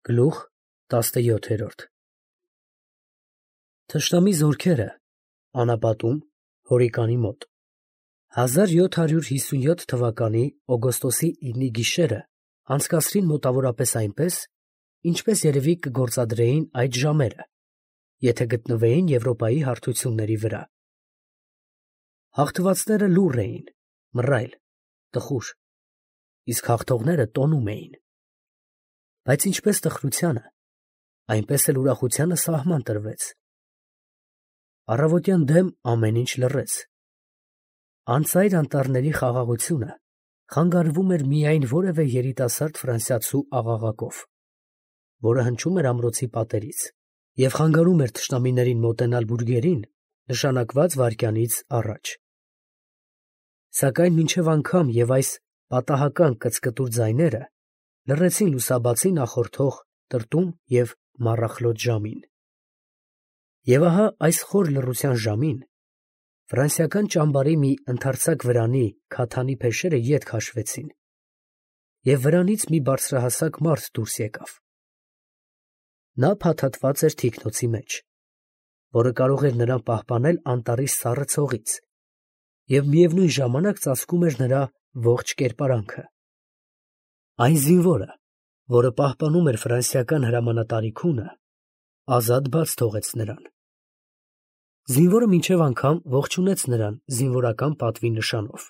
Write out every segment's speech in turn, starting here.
Գլուխ 17 Թշնամի զորքերը անապատում հորիկանի մոտ 1757 թվականի օգոստոսի 9-ի գիշերը անցկացրին մոտավորապես այնպես, ինչպես երևի կգործադրեին այդ ժամերը, եթե գտնվեին Եվրոպայի հարթությունների վրա։ Հաղթվածները լուռ էին, մռայլ, տխուր, իսկ հաղթողները տոնում էին։ Բայց ինչպես տխրությանը, այնպես էլ ուրախությանը սահման տրվեց։ Առավոտյան դեմ ամեն ինչ լռեց։ Անծայր անտառների խաղաղությունը խանգարվում էր միայն որևէ երիտասարդ ֆրանսիացու աղաղակով, որը հնչում էր ամրոցի պատերից և խանգարում էր թշնամիներին մոտենալ բուրգերին նշանակված վայրկյանից առաջ։ Սակայն մինչև անգամ և այս պատահական կծկտուր ձայները լռեցին լուսաբացի նախորդող տրտում և մառախլոտ ժամին։ Եվ ահա այս խոր լռության ժամին ֆրանսիական ճամբարի մի ընդարձակ վրանի քաթանի փեշերը ետ քաշվեցին, և վրանից մի բարձրահասակ մարդ դուրս եկավ։ Նա փաթաթված էր թիկնոցի մեջ, որը կարող էր նրան պահպանել անտառի սառը ցողից, և միևնույն ժամանակ ծածկում էր նրա ողջ կերպարանքը։ Այն զինվորը, որը պահպանում էր ֆրանսիական հրամանատարի քունը, ազատ բաց թողեց նրան։ Զինվորը մինչև անգամ ողջունեց նրան զինվորական պատվի նշանով։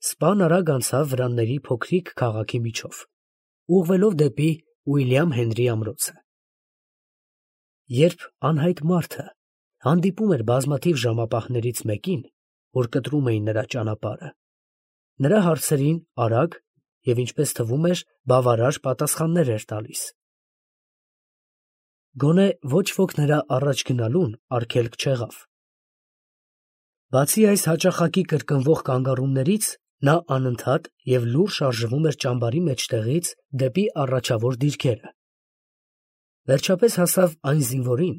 Սպան արագ անցավ վրանների փոքրիկ քաղաքի միջով, ուղղվելով դեպի Ուիլյամ Հենրի ամրոցը։ Երբ անհայտ մարդը հանդիպում էր բազմաթիվ ժամապահներից մեկին, որ կտրում էին նրա ճանապարհը, նրա հարցերին արագ և, ինչպես թվում էր, բավարար պատասխաններ էր տալիս։ Գոնե ոչ ոք նրա առաջ գնալուն արգելք չեղավ։ Բացի այս հաճախակի կրկնվող կանգառումներից, նա անընդհատ և լուռ շարժվում էր ճամբարի մեջտեղից դեպի առաջավոր դիրքերը։ Վերջապես հասավ այն զինվորին,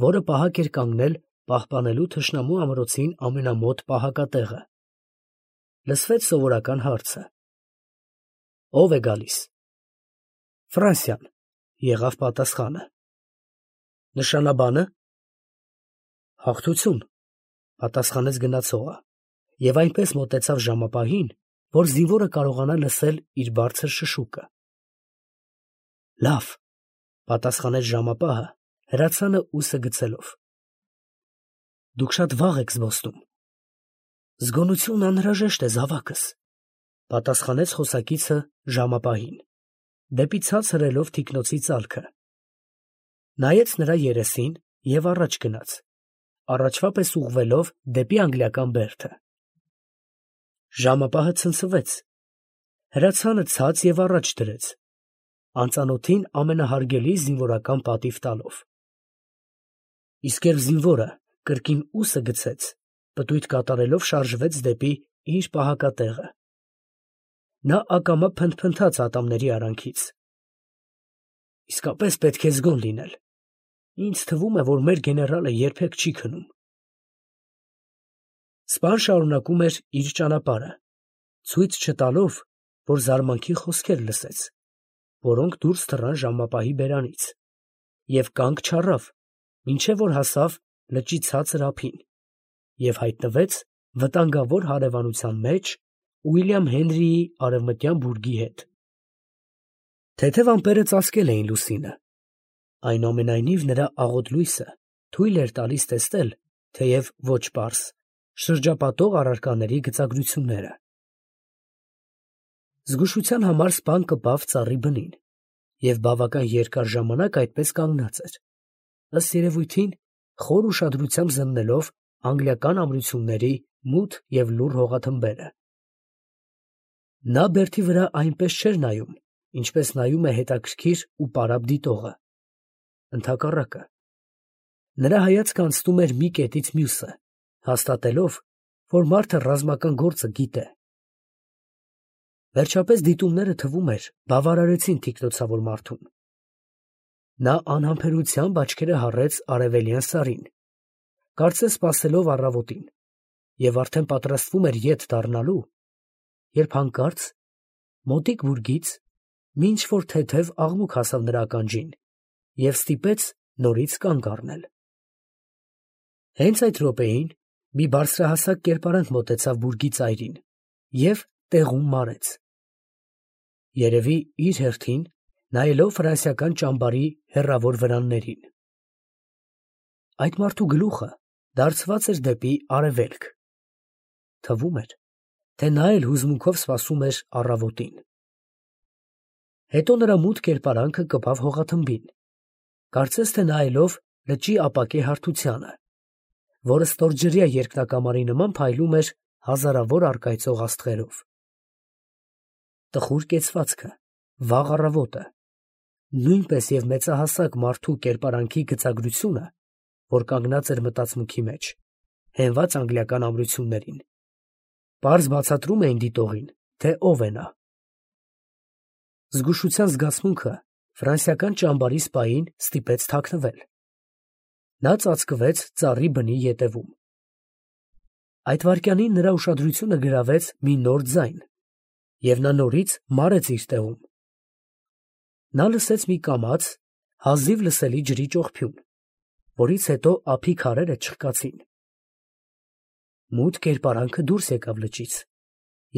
որը պահակ էր կանգնել պահպանելու թշնամու ամրոցին ամենամոտ պահակատեղը։ Լսվեց սովորական հարցը. «Ո՞վ է գալիս»։ «Ֆրանսիան», եղավ պատասխանը։ «Նշանաբանը»։ «Հաղթություն», պատասխանեց գնացողը, և այնպես մոտեցավ ժամապահին, որ զինվորը կարողանա լսել իր բարձր շշուկը։ «Լավ», պատասխանեց ժամապահը, հրացանը ուսը գցելով։ «Դուք շատ վաղ եք զբոսնում»։ «Զգոնություն անհրաժեշտ է, զավակս», պատասխանեց խոսակիցը ժամապահին, դեպի ցած հրելով թիկնոցի ծալքը։ Նայեց նրա երեսին և առաջ գնաց, առաջվա պես ուղղվելով դեպի անգլիական բերդը։ Ժամապահը ցնցվեց, հրացանը ցած և առաջ դրեց, անծանոթին ամենահարգելի զինվորական պատիվ տալով։ Իսկ երբ զինվորը կրկին ուսը գցեց, պտույտ կատարելով շարժվեց դեպի իր պահակատեղը։ Նա ակամա փնթփնթաց ատամների արանքից։ «Իսկապես պետք է զգոն լինել։ Ինձ թվում է, որ մեր գեներալը երբեք չի քնում»։ Սպան շարունակում էր իր ճանապարհը, ցույց չտալով, որ զարմանքի խոսքեր լսեց, որոնք դուրս թռան ժամապահի բերանից, և կանգ չառավ, մինչև որ հասավ լճի ցածր ափին և հայտնվեց վտանգավոր հարևանության մեջ Ուիլյամ Հենրիի արևմտյան բուրգի հետ։ Թեթև ամպերը ծածկել էին լուսինը, այնուամենայնիվ նրա աղոտ լույսը թույլ էր տալիս տեսնել, թեև ոչ պարզ, շրջապատող առարկաների գծագրությունները։ Զգուշության համար սպան կպավ ծառի բնին և բավական երկար ժամանակ այդպես կանգնած էր, ըստ երևույթին, խոր ուշադրությամբ զննելով անգլիական ամրությունների մութ և լուռ հողաթմբերը։ Նա բերդի վրա այնպես չէր նայում, ինչպես նայում է հետաքրքիր ու պարապ դիտողը։ Ընդհակառակը, նրա հայացքը անցնում էր մի կետից մյուսը, հաստատելով, որ մարդը ռազմական գործը գիտե։ Վերջապես դիտումները, թվում էր, բավարարեցին թիկնոցավոր մարդուն։ Նա անհամբերությամբ աչքերը հառեց արևելյան սարին, կարծես սպասելով առավոտին, և արդեն պատրաստվում էր ետ դառնալու, երբ հանկարծ մոտիկ բուրգից մինչ որ թեթև աղմուկ հասավ նրա ականջին և ստիպեց նորից կանգ առնել։ Հենց այդ րոպեին մի բարձրահասակ կերպարանք մոտեցավ բուրգի ծայրին և տեղում մարեց։ Երևի իր հերթին նայելով ֆրանսիական ճամբարի հեռավոր վրաններին։ Այդ մարդու գլուխը դարձված էր դեպի արևելք։ Թվում էր, թե նա էլ հուզմունքով սպասում էր առավոտին։ Հետո նրա մութ կերպարանքը կպավ հողաթմբին, կարծես թե նայելով լճի ապակե հարթությանը, որը ստորջրյա երկնակամարի նման փայլում էր հազարավոր առկայծող աստղերով։ Տխուր կեցվածքը, վաղ առավոտը, նույնպես և մեծահասակ մարդու կերպարանքի գծագրությունը, որ կանգնած էր մտածմունքի մեջ, հենված անգլիական ամրություններին, պարզ բացատրում էին դիտողին, թե ով է նա։ Զգուշության զգացմունքը ֆրանսիական ճամբարի սպային ստիպեց թաքնվել։ Նա ծածկվեց ծառի բնի ետևում։ Այդ վայրկյանին նրա ուշադրությունը գրավեց մի նոր ձայն, և նա նորից մարեց իր տեղում։ Նա լսեց մի կամաց, հազիվ լսելի ջրի ճողփյուն, որից հետո ափի քարերը չխկացին։ Մութ կերպարանքը դուրս եկավ լճից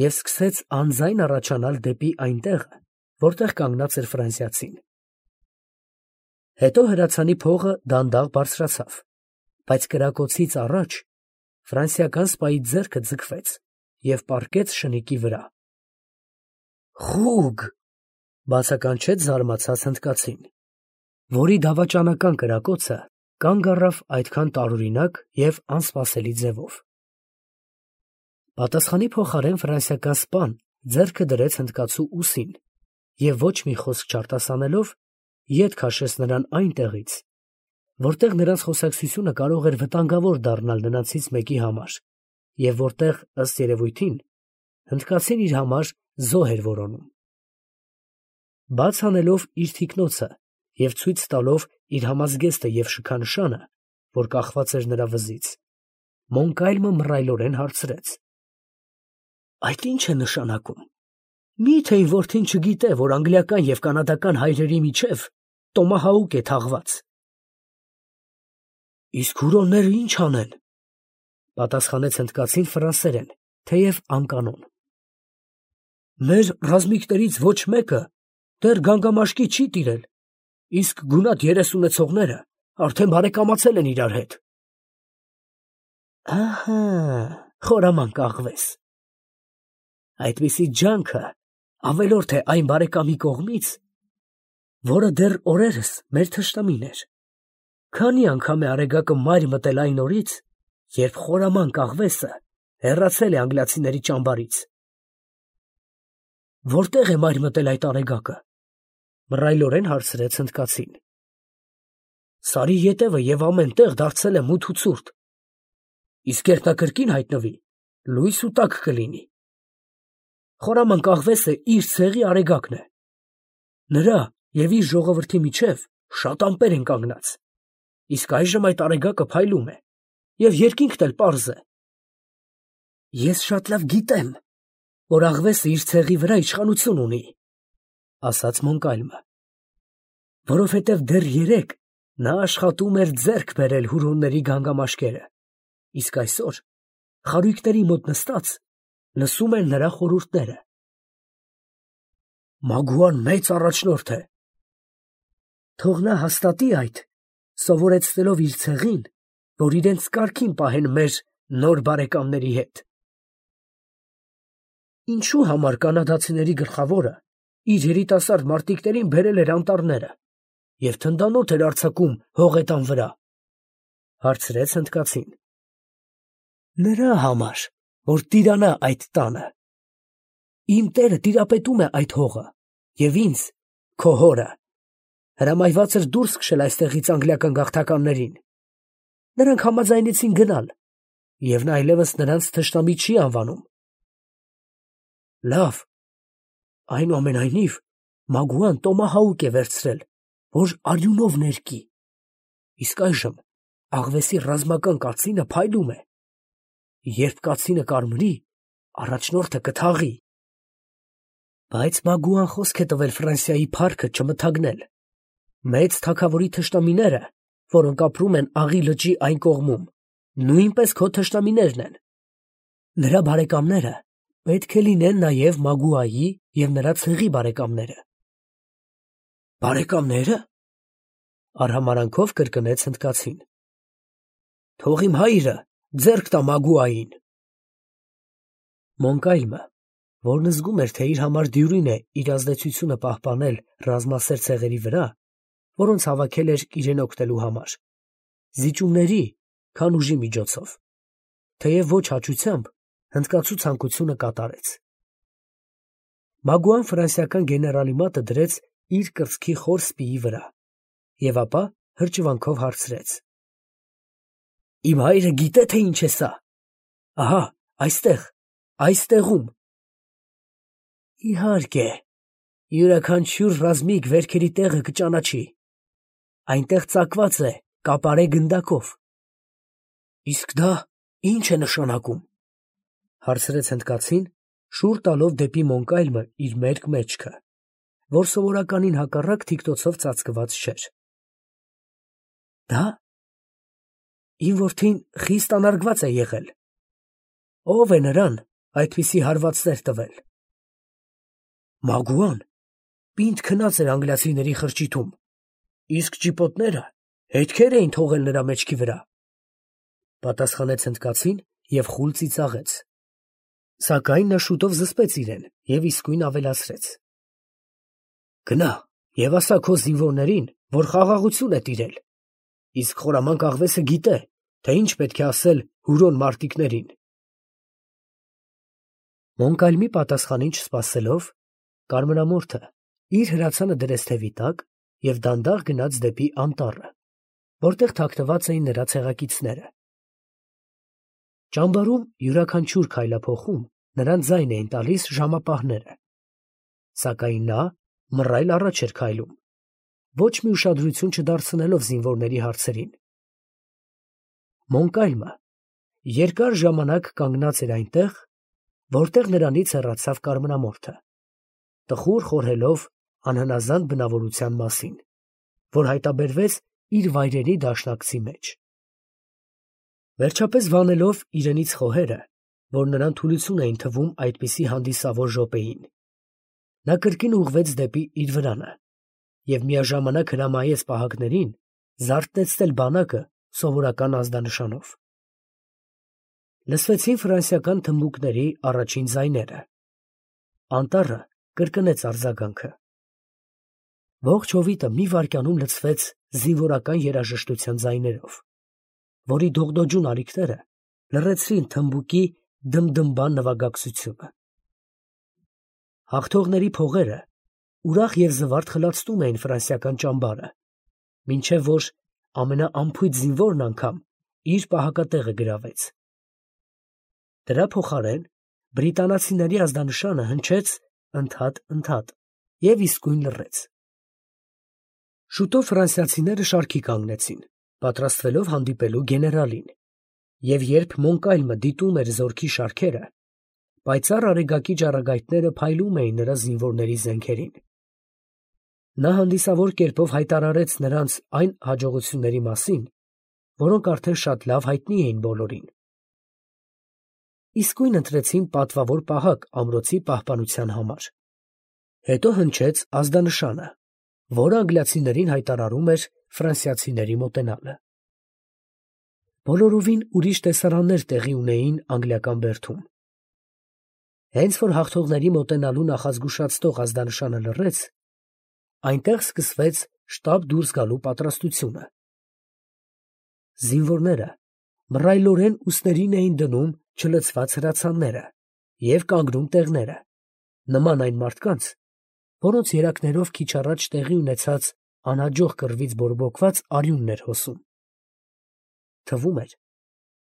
և սկսեց անձայն առաջանալ դեպի այն տեղը, որտեղ կանգնած էր ֆրանսիացին։ Հետո հրացանի փողը դանդաղ բարձրացավ, բայց կրակոցից առաջ ֆրանսիական սպայի ձեռքը ձգվեց և պառկեց շնիկի վրա։ «Խուգ», բացականչեց զարմացած հնդկացին, որի դավաճանական կրակոցը կանգ առավ այդքան տարօրինակ և անսպասելի ձևով։ Պատասխանի փոխարեն ֆրանսիական սպան ձեռքը դրեց հնդկացու ուսին և ոչ մի խոսք չարտասանելով, ետ քաշեց նրան այնտեղից, որտեղ նրանց խոսակցությունը կարող էր վտանգավոր դառնալ նրանցից մեկի համար և որտեղ, ըստ երևույթին, հնդկացին իր համար զոհ էր որոնում։ Բաց անելով իր թիկնոցը և ցույց տալով իր համազգեստը և շքանշանը, որ կախված էր նրա վզից, Մոնկալմը մռայլորեն հարցրեց. «Այդ ի՞նչ է նշանակում։ Մի՞թե իմ որդին չգիտե, որ անգլիական և կանադական հայրերի միջև տոմահաուկ է թաղված»։ «Իսկ հուրոնները ի՞նչ անեն», պատասխանեց հնդկացին ֆրանսերեն, թեև անկանոն։ «Մեր ռազմիկներից ոչ մեկը դեռ գանգամաշկի չի տիրել, իսկ գունատ երես ունեցողները արդեն բարեկամացել են իրար հետ»։ «Ահա, խորամանկ աղվես, այդպիսի ջանքը ավելորդ է այն բարեկամի կողմից, որը դեռ օրերս մեր թշնամին էր։ Քանի՞ անգամ է արեգակը մայր մտել այն օրից, երբ խորամանկ աղվեսը հեռացել է անգլիացիների ճամբարից»։ «Որտե՞ղ է մայր մտել այդ արեգակը», մռայլորեն հարցրեց հնդկացին։ «Սարի ետևը և ամեն տեղ դարձել է մութ ու ցուրտ, իսկ երբ նա կրկին հայտնվի, լույս ու տաք կլինի։ Խորամանկ աղվեսը իր ցեղի արեգակն է. նրա և իր ժողովրդի միջև շատ ամպեր են կանգնած, իսկ այժմ այդ արեգակը փայլում է, և երկինքն էլ պարզ է»։ «Ես շատ լավ գիտեմ, որ աղվեսը իր ցեղի վրա իշխանություն ունի», ասաց Մոնկալմը, «որովհետև դեռ երեկ նա աշխատում էր ձեռք բերել հուրոնների գանգամաշկերը, իսկ այսօր, խարույկների մոտ նստած, լսում էր նրա խորհուրդները»։ «Մագուան մեծ առաջնորդ է»։ «Թող նա հաստատի այդ, սովորեցնելով իր ցեղին, որ իրենց կարգին պահեն մեր նոր բարեկամների հետ»։ «Ինչո՞ւ համար կանադացիների գլխավորը իր երիտասարդ մարտիկներին բերել էր անտառները և թնդանոթ էր արձակում հողետան վրա», հարցրեց հնդկացին։ «Նրա համար, որ տիրանա այդ տանը։ Իմ տերը տիրապետում է այդ հողը, և ինձ, քո հորը, հրամայված էր դուրս քշել այստեղից անգլիական գաղթականներին։ Նրանք համաձայնեցին գնալ, և նա այլևս նրանց թշնամի չի անվանում։ Լավ, այնուամենայնիվ Մագուան տոմահաուկ է վերցրել, որ արյունով ներկի, իսկ այժմ աղվեսի ռազմական կացինը փայլում է։ Երբ կացինը կարմրի, առաջնորդը կթաղի»։ Բայց Մագուան խոսք է տվել Ֆրանսիայի փառքը չմթագնել։ Մեծ թագավորի թշնամիները, որոնք ապրում են Աղի լճի այն կողմում, նույնպես քո թշնամիներն են։ Նրա բարեկամները պետք է լինեն նաև Մագուայի և նրա ցեղի բարեկամները։ Բարեկամները։ Արհամարանքով կրկնեց հնդկացին։ Թող իմ հայրը ձեռք տա Մագուային։ Մոնկայլմը, որն զգում էր, թե իր համար դյուրին է իր ազդեցությունը պահպանել ռազմասեր ցեղերի վրա, որոնց հավաքել էր իրեն օգնելու համար, զիջումների, քան ուժի միջոցով, թեև ոչ հաճությամբ, հնդկացու ցանկությունը կատարեց։ Մագուան ֆրանսիական գեներալի մատը դրեց իր կրծքի խոր սպիի վրա և ապա հրճվանքով հարցրեց. Իմ հայրը գիտե, թե ինչ է սա։ Ահա, այստեղ, այստեղում։ Իհարկե, յուրաքանչյուր ռազմիկ վերքերի տեղը կճանաչի։ Այնտեղ ծակված է կապարե գնդակով։ Իսկ դա ի՞նչ է նշանակում, հարցրեց հնդկացին, շուռ տալով դեպի Մոնկայլմը իր մերկ մեջքը, որ սովորականին հակառակ թիկնոցով ծածկված չէր։ Դա իմ որդին խիստ անարգված է եղել։ Ո՞վ է նրան այդպիսի հարվածներ տվել։ Մագուան պինդ քնած էր անգլիացիների խրճիթում, իսկ ճիպոտները հետքեր էին թողել նրա մեջքի վրա, պատասխանեց հնդկացին և խուլ ծիծաղեց։ Սակայն նա շուտով զսպեց իրեն և իսկույն ավելացրեց. Գնա և ասա քո զինվորներին, որ խաղաղություն է տիրել, իսկ խորամանկ աղվեսը գիտե, թե ինչ պետք է ասել հուրոն մարտիկներին։ Մոնկալմի պատասխանին չսպասելով, կարմրամորթը իր հրացանը դրեց թևի տակ և դանդաղ գնաց դեպի անտառը, որտեղ թաքնված էին նրա ցեղակիցները։ Ճամբարում յուրաքանչյուր քայլափոխում նրան ձայն էին տալիս ժամապահները, սակայն նա մռայլ առաջ էր քայլում, ոչ մի ուշադրություն չդարձնելով զինվորների հարցերին։ Մոնկալմը երկար ժամանակ կանգնած էր այնտեղ, որտեղ նրանից հեռացավ կարմրամորթը, տխուր խորհելով անհնազանդ բնավորության մասին, որ հայտաբերվեց իր վայրենի դաշնակցի մեջ։ Վերջապես վանելով իրենից խոհերը, որ նրան թուլություն էին թվում այդպիսի հանդիսավոր րոպեին, նա կրկին ուղղվեց դեպի իր վրանը և միաժամանակ հրամայեց պահակներին զարթեցնել բանակը սովորական ազդանշանով։ Լսվեցին ֆրանսիական թմբուկների առաջին ձայները։ Անտառը կրկնեց արձագանքը։ Ողջ հովիտը մի վայրկյանում լցվեց զինվորական երաժշտության ձայներով, որի դողդոջուն ալիքները լռեցրին թմբուկի դմդմբան նվագակցությունը։ Հաղթողների փողերը ուրախ և զվարթ խլացնում էին ֆրանսիական ճամբարը, մինչև որ ամենաանփույթ զինվորն անգամ իր պահակատեղը գրավեց։ Դրա փոխարեն բրիտանացիների ազդանշանը հնչեց ընդհատ և իսկույն լռեց։ Շուտով ֆրանսիացիները շարքի կանգնեցին, պատրաստվելով հանդիպելու գեներալին, և երբ Մոնկալմը դիտում էր զորքի շարքերը, պայծառ արեգակի ճառագայթները փայլում էին նրա զինվորների զենքերին։ Նա հանդիսավոր կերպով հայտարարեց նրանց այն հաջողությունների մասին, որոնք արդեն շատ լավ հայտնի էին բոլորին։ Իսկույն ընտրեցին պատվավոր պահակ ամրոցի պահպանության համար։ Հետո հնչեց ազդանշանը, որը անգլիացիներին հայտարարում էր ֆրանսիացիների մոտենալը։ Բոլորովին ուրիշ տեսարաններ տեղի ունեին անգլիական բերդում։ Հենց որ հաղթողների մոտենալու նախազգուշացնող ազդանշանը լռեց, այնտեղ սկսվեց շտապ դուրս գալու պատրաստությունը։ Զինվորները մռայլորեն ուսներին էին դնում չլցված հրացանները և կանգնում տեղները, նման այն մարդկանց, որոնց երակներով քիչ առաջ տեղի ունեցած անհաջող կռվից բորբոքված արյունն էր հոսում։ Թվում էր,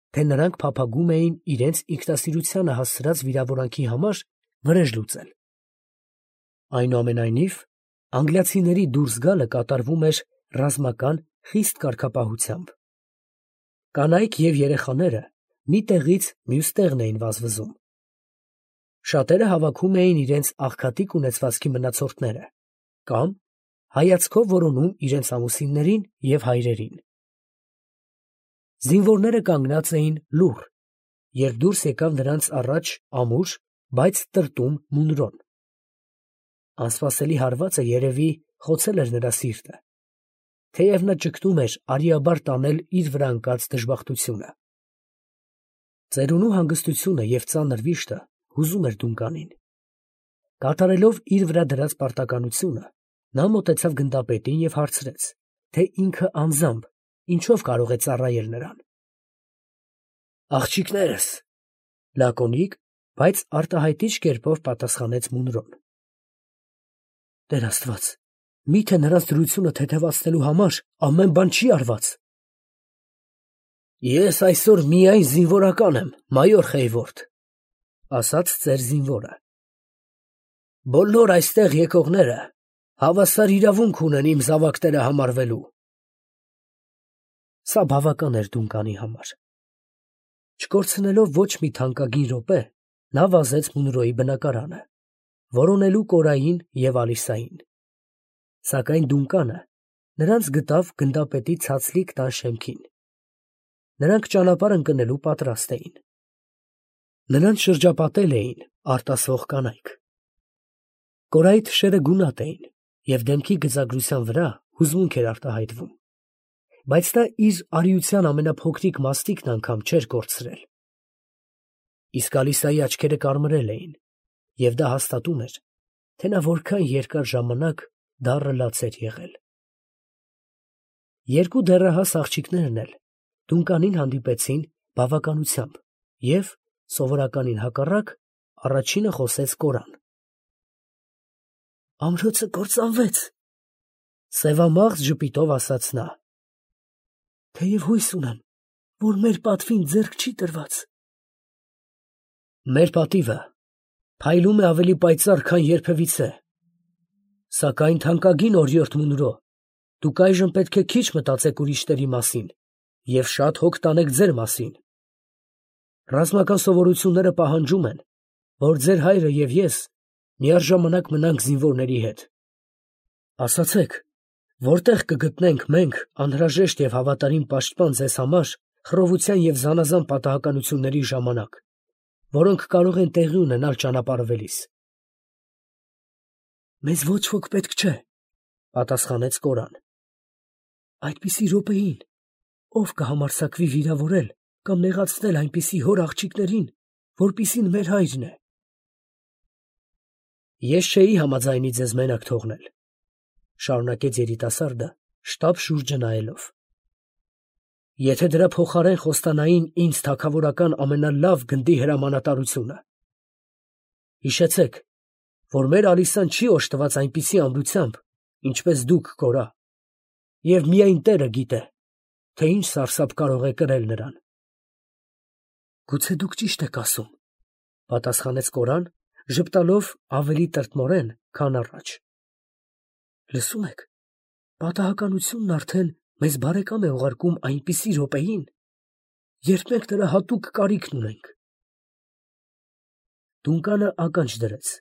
թե նրանք փափագում էին իրենց ինքնասիրությանը հասցրած վիրավորանքի համար վրեժ լուծել։ Այնուամենայնիվ, անգլիացիների դուրս գալը կատարվում էր ռազմական խիստ կարգապահությամբ։ Կանայք և երեխաները մի տեղից մյուս տեղն էին վազվզում։ Շատերը հավաքում էին իրենց աղքատիկ ունեցվածքի մնացորդները կամ հայացքով որոնում իրենց ամուսիններին և հայրերին։ Զինվորները կանգնած էին լուռ, երբ դուրս եկավ նրանց առաջ ամուր, բայց տրտում Մունրոն։ Անսպասելի հարվածը երևի խոցել էր նրա սիրտը, թեև նա ճգնում էր արիաբար տանել իր վրա ընկած դժբախտությունը։ Ծերունու հանգստությունը և ծանր վիշտը հուզում էր Դունկանին։ Կատարելով իր վրա դրած պարտականությունը, նա մոտեցավ գնդապետին և հարցրեց, թե ինքը անձամբ ինչով կարող է ծառայել նրան։ «Աղջիկներս», լակոնիկ, բայց արտահայտիչ կերպով պատասխանեց Մունրոն։ «Տեր Աստված, մի՞թե նրանց դրությունը թեթևացնելու համար ամեն բան չի արված»։ «Ես այսօր միայն զինվորական եմ, մայոր Խեյվորդ, ասաց ծեր զինվորը։ Բոլոր այստեղ եկողները հավասար իրավունք ունեն իմ զավակները համարվելու»։ Սա բավական էր Դունկանի համար։ Չկորցնելով ոչ մի թանկագին րոպե, նա վազեց Մունրոյի բնակարանը, որոնելու Կորային և Ալիսային։ Սակայն Դունկանը նրանց գտավ գնդապետի ցածլիկ տան շեմքին։ Նրանք ճանապարհ ընկնելու պատրաստ էին։ Նրանց շրջապատել էին արտասվող կանայք։ Կորայի թշերը գունատ էին, և դեմքի գծագրության վրա հուզմունք էր արտահայտվում, բայց նա իր արիության ամենափոքրիկ մաստիկն անգամ չէր կորցրել։ Իսկ Ալիսայի աչքերը կարմրել էին, և դա հաստատում էր, թե նա որքան երկար ժամանակ դառը լաց էր եղել։ Երկու դեռահաս աղջիկներն էլ Դունկանին հանդիպեցին բավականությամբ և, սովորականին հակառակ, առաջինը խոսեց Կորան։ «Ամրոցը կործանվեց», սևամաղձ ժպիտով ասաց նա, «թեև հույս ունեմ, որ մեր պատվին ձեռք չի տրված»։ «Մեր պատիվը փայլում է ավելի պայծառ, քան երբևիցե, սակայն թանկագին օրիորդ Մունրո, դուք այժմ պետք է քիչ մտածեք ուրիշների մասին և շատ հոգ տանեք ձեր մասին։ Ռազմական սովորությունները պահանջում են, որ ձեր հայրը և ես միաժամանակ մնանք զինվորների հետ։ Ասացեք, որտեղ կգտնենք մենք անհրաժեշտ և հավատարիմ պաշտպան ձեզ համար խռովության և զանազան պատահականությունների ժամանակ, որոնք կարող են տեղի ունենալ ճանապարհվելիս»։ «Մեզ ոչ ոք պետք չէ», պատասխանեց Կորան։ «Այդպիսի րոպեին ով կհամարձակվի վիրավորել կամ նեղացնել այնպիսի հոր աղջիկներին, որպիսին մեր հայրն է»։ «Ես չէի համաձայնի ձեզ մենակ թողնել», շարունակեց երիտասարդը, շտապ շուրջը նայելով։ «Եթե դրա փոխարեն խոստանային ինձ թագավորական ամենալավ գնդի հրամանատարությունը։ Հիշեցեք, որ մեր Ալիսան չի օժտված այնպիսի ամրությամբ, ինչպես դուք, Կորա, և միայն տերը գիտե, թե ինչ սարսափ կարող է կրել նրան»։ «Գուցե դուք ճիշտ եք ասում», պատասխանեց Կորան, ժպտալով ավելի տրտմորեն, քան առաջ։ «Լսում եք, պատահականությունն արդեն մեզ բարեկամ է ուղարկում այնպիսի րոպեին, երբ մենք նրա հատուկ կարիքն ունենք»։ Դունկանը ականջ դրեց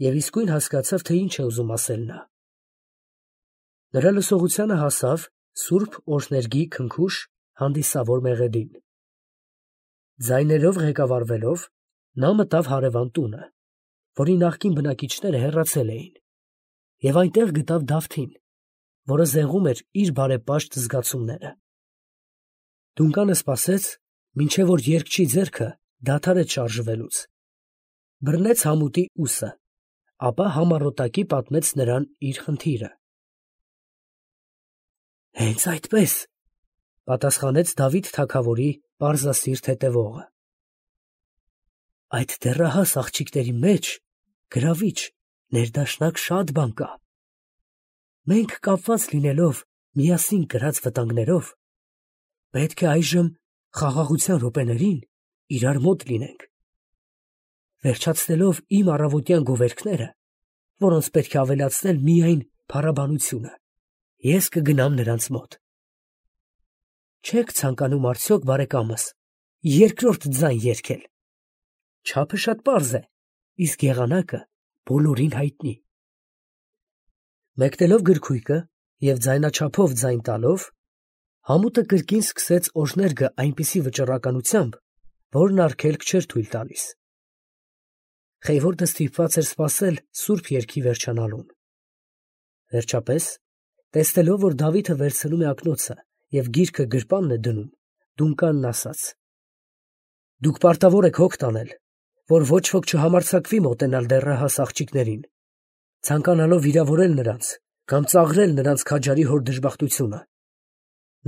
և իսկույն հասկացավ, թե ինչ է ուզում ասել նա։ Նրա լսողությանը հասավ սուրբ օրհներգի քնքուշ հանդիսավոր մեղեդին։ Ձայներով ղեկավարվելով, նա մտավ հարևան տունը, որի նախկին բնակիչները հեռացել էին, և այնտեղ գտավ Դավթին, որը զեղում էր իր բարեպաշտ զգացումները։ Դունկանը սպասեց, մինչև որ երգչի ձեռքը դադարեց շարժվելուց, բռնեց համուտի ուսը, ապա համառոտակի պատմեց նրան իր խնդիրը։ «Հենց այդպես», պատասխանեց Դավիթ թագավորի պարզասիրտ հետևողը։ «Այդ դեռահաս աղջիկների մեջ գրավիչ, ներդաշնակ շատ բան կա։ Մենք կապված լինելով միասին կրած վտանգներով, պետք է այժմ խաղաղության րոպեներին իրար մոտ լինենք։ Վերջացնելով իմ առավոտյան գովերքները, որոնց պետք է ավելացնել միայն փառաբանությունը, ես կգնամ նրանց մոտ։ Չե՞ք ցանկանում արդյոք, բարեկամս, երկրորդ ձայն երգել։ Չափը շատ պարզ է, իսկ եղանակը բոլորին հայտնի։ Մեկնելով գրքույկը և ձայնաչափով ձայն տալով, Համուտը կրկին սկսեց օրհներգը այնպիսի վճռականությամբ, որն արգելք չէր թույլ տալիս։ Խեյվորդը ստիպված էր սպասել սուրբ երգի վերջանալուն։ Վերջապես, տեսնելով, որ Դավիթը վերցնում է ակնոցը և գիրքը գրպանն է դնում, դունկանն ասաց. «Դուք պարտավոր եք հոգ տանել, որ ոչ ոք չհամարձակվի մոտենալ դեռահաս աղջիկներին, ցանկանալով վիրավորել նրանց կամ ծաղրել նրանց քաջարի հոր դժբախտությունը։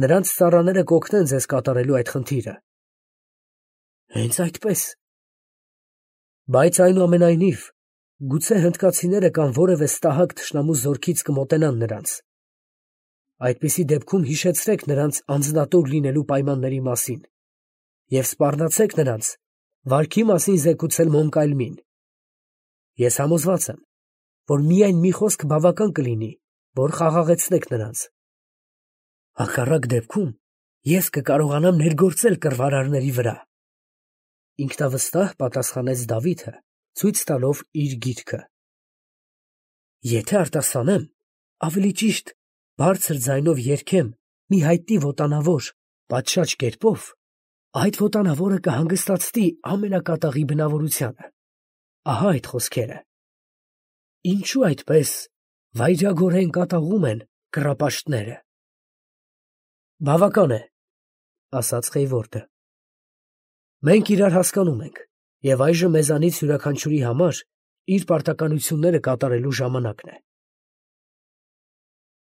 Նրանց ծառաները կօգնեն ձեզ կատարելու այդ խնդիրը»։ Հենց այդպես։ Բայց այնուամենայնիվ, գուցե հնդկացիները կամ որևէ ստահակ թշնամու զորքից կմոտենան նրանց։ Այդպիսի դեպքում հիշեցրեք նրանց անձնատուր լինելու պայմանների մասին և սպառնացեք նրանց վարքի մասին զեկուցել Մոնկայլմին։ Ես համոզված եմ, որ միայն մի խոսք բավական կլինի, որ խաղաղեցնեք նրանց։ Հակառակ դեպքում ես կկարողանամ ներգործել կռվարարների վրա։ Ինքնավստահ պատասխանեց Դավիթը, ցույց տալով իր գիրքը։ Եթե արտասանեմ, ավելի ճիշտ, բարձր ձայնով երգեմ մի հայտնի ոտանավոր պատշաճ կերպով, այդ ոտանավորը կհանգստացնի ամենակատաղի բնավորությանը։ Ահա այդ խոսքերը։ Ինչու այդպես վայրագորեն կատաղում են կռապաշտները։ Բավական է, ասաց Խեյվորդը։ Մենք իրար հասկանում ենք, և այժմ մեզանից յուրաքանչյուրի համար իր պարտականությունները կատարելու ժամանակն է։